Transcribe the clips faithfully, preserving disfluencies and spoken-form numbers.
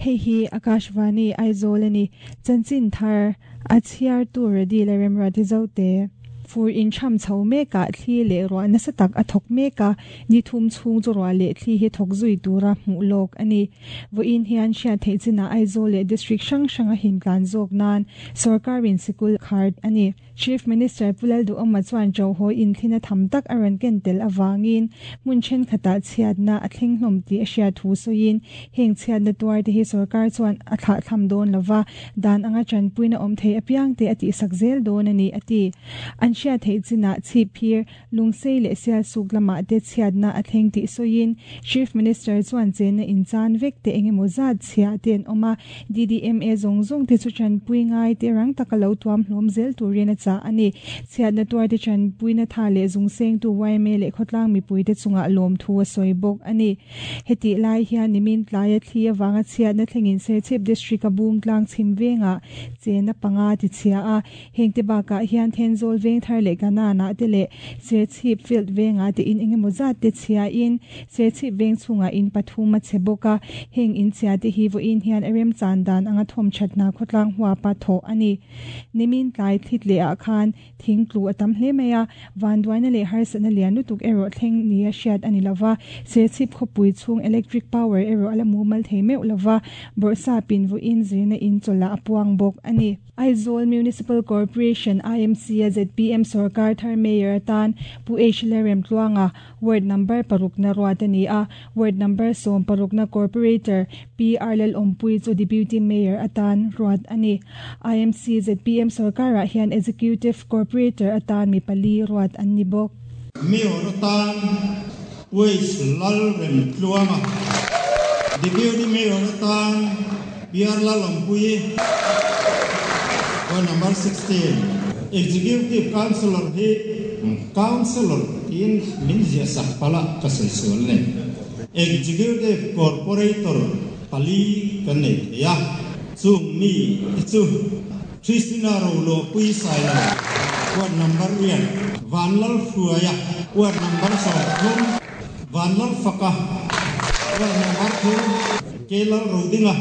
Hei hi Akashvani Aizawl ani chanchin thar a chhiar tu ready le remra ti zote fur in tham chho meka thli le ro na satak a thok meka ni thum chung chu ro le thli hi thok zui tura hmu lok ani vo in hian hria thei china Aizawl le district sang sanga hin tlan zok nan sarkarin sikul khar ani Chief Minister Pulal du oma chuan jo ho in thina tham tak aran ken tel awangin mun chen khata chiat na athling hlom ti asia thu soin heng chiat na tuar te hi sarkar chuan a thla tham don lova dan anga chan puina om thei apiang te ati sakzel don ani ati an sia thei china chi phir lungsei le sia suk lama te chiat na atheng ti soin Chief Minister chuan chen na in chan vek te engemaw zat chia ten oma D D M A zong zong te chu chan pui ngai te rang takalo tuam hlom zel turin a cha ani chiat na tuar te chan puina tha le zung seng tu Y M A le khotlang mi pui te chunga lom thu a soi bok ani heti lai hian nimin tlai a thli awanga chiat na thlengin se chip district a bung tlang chim venga chena panga ti chia a hengte ba ka hian thenzol veng thar le kana na te le se chip field venga te in engemaw zat te chia in se chip veng chunga in pathuma cheboka heng in chia te hi vo in hian arem chandan anga thom thatna khotlang huwa pa tho ani nimin tlai thlit le a khan thing tlu atam hle maya vanduaina le harsana lian lutuk ero thleng ni a hriat ani lova se chip khopui chung electric power ero ala mumal thei meu lova borsa pin vo in zirna in chola apuang bok ani Aizawl Municipal Corporation I M C a Z P M Sarkar Thar Mayor tan Pu H Lerem Tluanga ward number paruk na ruat ani a ward number som paruk na corporator P R Lal Ompui chu Deputy Mayor atan ruat ani I M C Z P M Sarkar ah hian Executive Corporator atan mi pali ruat an ni bawk Mayor atan Pu H Lalrem Tluanga Deputy Mayor atan P R Lal Ompui ward number sixteen Executive Councillor hi Councillor in Minzia Sakpala kasai ne Executive Corporator pali kan nei ya chung mi chu Christina Rolo pui sai la ward number one Vanlal Fuaya ward number seven Vanlal Faka ward number two Kelal Rodinga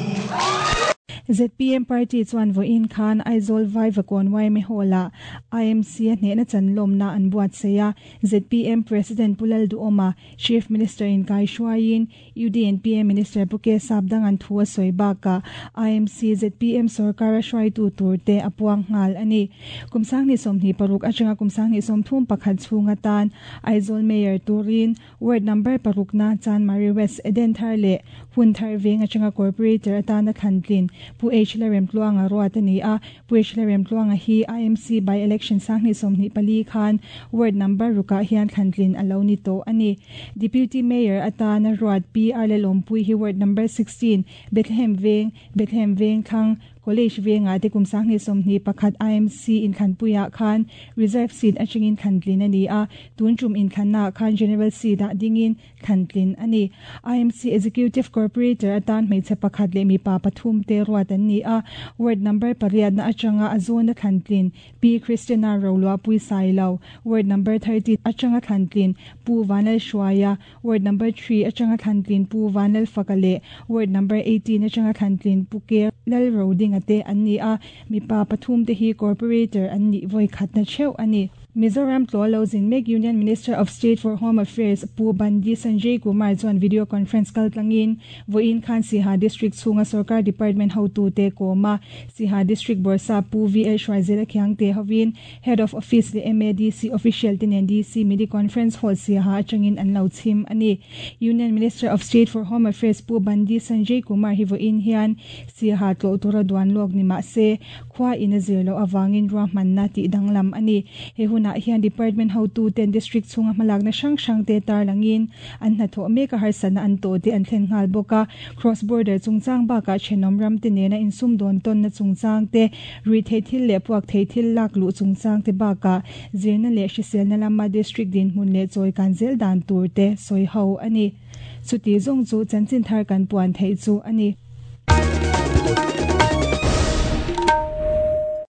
Z P M Party chuan vo in khan Aizawl Vaivakawn Y M A Hall-a I M C a hnehna chanlawm na an buat seia Z P M President Pulal Duoma Chief Minister in Kai Shuain U D N P M Minister Puke Sapdang an thu a sawi baka I M C Z P M Sarkar a hruai tu tur te a puang nghal ani kumsang ni sawmhnih paruk atanga kumsang ni sawmthum pakhat chhunga tan Aizawl Mayor turin ward number paruk na Chanmari West Eden Thar le Hun Thar Veng atanga Corporator atana Thantlin Pu H Lerem Tluanga ruat ani a Pu H Lerem Tluanga hi I M C by election sangni somni pali khan ward number ruka hian Thantlin alo ni to ani Deputy Mayor atana ruat P R Lalompui hi ward number sixteen Bethlehem Veng Bethlehem Veng thang College Venga te kumsang ni somni pakhat I M C in Khanpuia khan reserve seat achingin Thantlin ani a tunchum in Khanna khan general seat a dingin Thantlin ani I M C Executive Corporator atan hmeichhe pakhat le mi pa pathum te ruat an ni a ward number pariat na atanga azona Thantlin P Christina Rolua Pui Sailo ward number thirty atanga Thantlin Pu Vanal Shuaya ward number three atanga Thantlin Pu Vanal Fakale ward number eighteen atanga Thantlin Pu Ke Lal Roding ate an ni a mi pa pathum te hi corporator an ni voi khat na cheu ani Mizoram Tlolozin Mek Union Minister of State for Home Affairs Pu Bandi Sanjay Kumar chuan video conference kal tlangin voin khan Siha District chunga Sarkar Department hotu te koma Siha District Borsa Pu V L Shwaizela Khiang te hovin Head of Office le M A D C official tin N D C midi conference hall Siha changin an lo chim ani Union Minister of State for Home Affairs Pu Bandi Sanjay Kumar hi voin hian Siha tlo tura duan lok ni ma se khwa in a zirlo awangin ruahman na ti danglam ani he hun na hian department hotu ten district chunga hmalak na hrang hrang te tar langin an hna thaw mek a harsana an to te an thlen nghal bawk a cross border chungchang bakah thenawm ram te nena insum dawn tawn na chungchang te rui thei thil leh puak thei thil lak luh chungchang te bakah zirna leh hriselna lama district din hmun leh chawi kan zel dan tur te sawi ho ani chuti zawng chu chanchin thar kan puan thei chu ani.